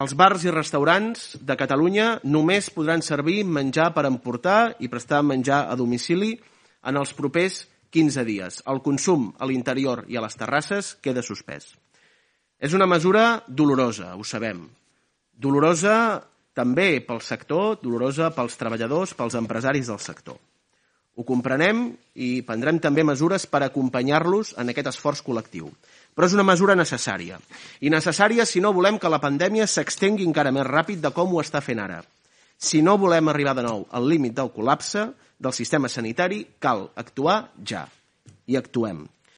Els bars i restaurants de Catalunya només podran servir menjar per emportar i prestar menjar a domicili en els propers 15 dies. El consum a l'interior i a les terrasses queda suspès. És una mesura dolorosa, ho sabem. Dolorosa també pel sector, dolorosa pels treballadors, pels empresaris del sector. Ho comprenem i prendrem també mesures per acompanyar-los en aquest esforç col·lectiu. Però és una mesura necessària. I necessària si no volem que la pandèmia s'extengui encara més ràpid de com ho està fent ara. Si no volem arribar de nou al límit del col·lapse del sistema sanitari, cal actuar ja. I actuem.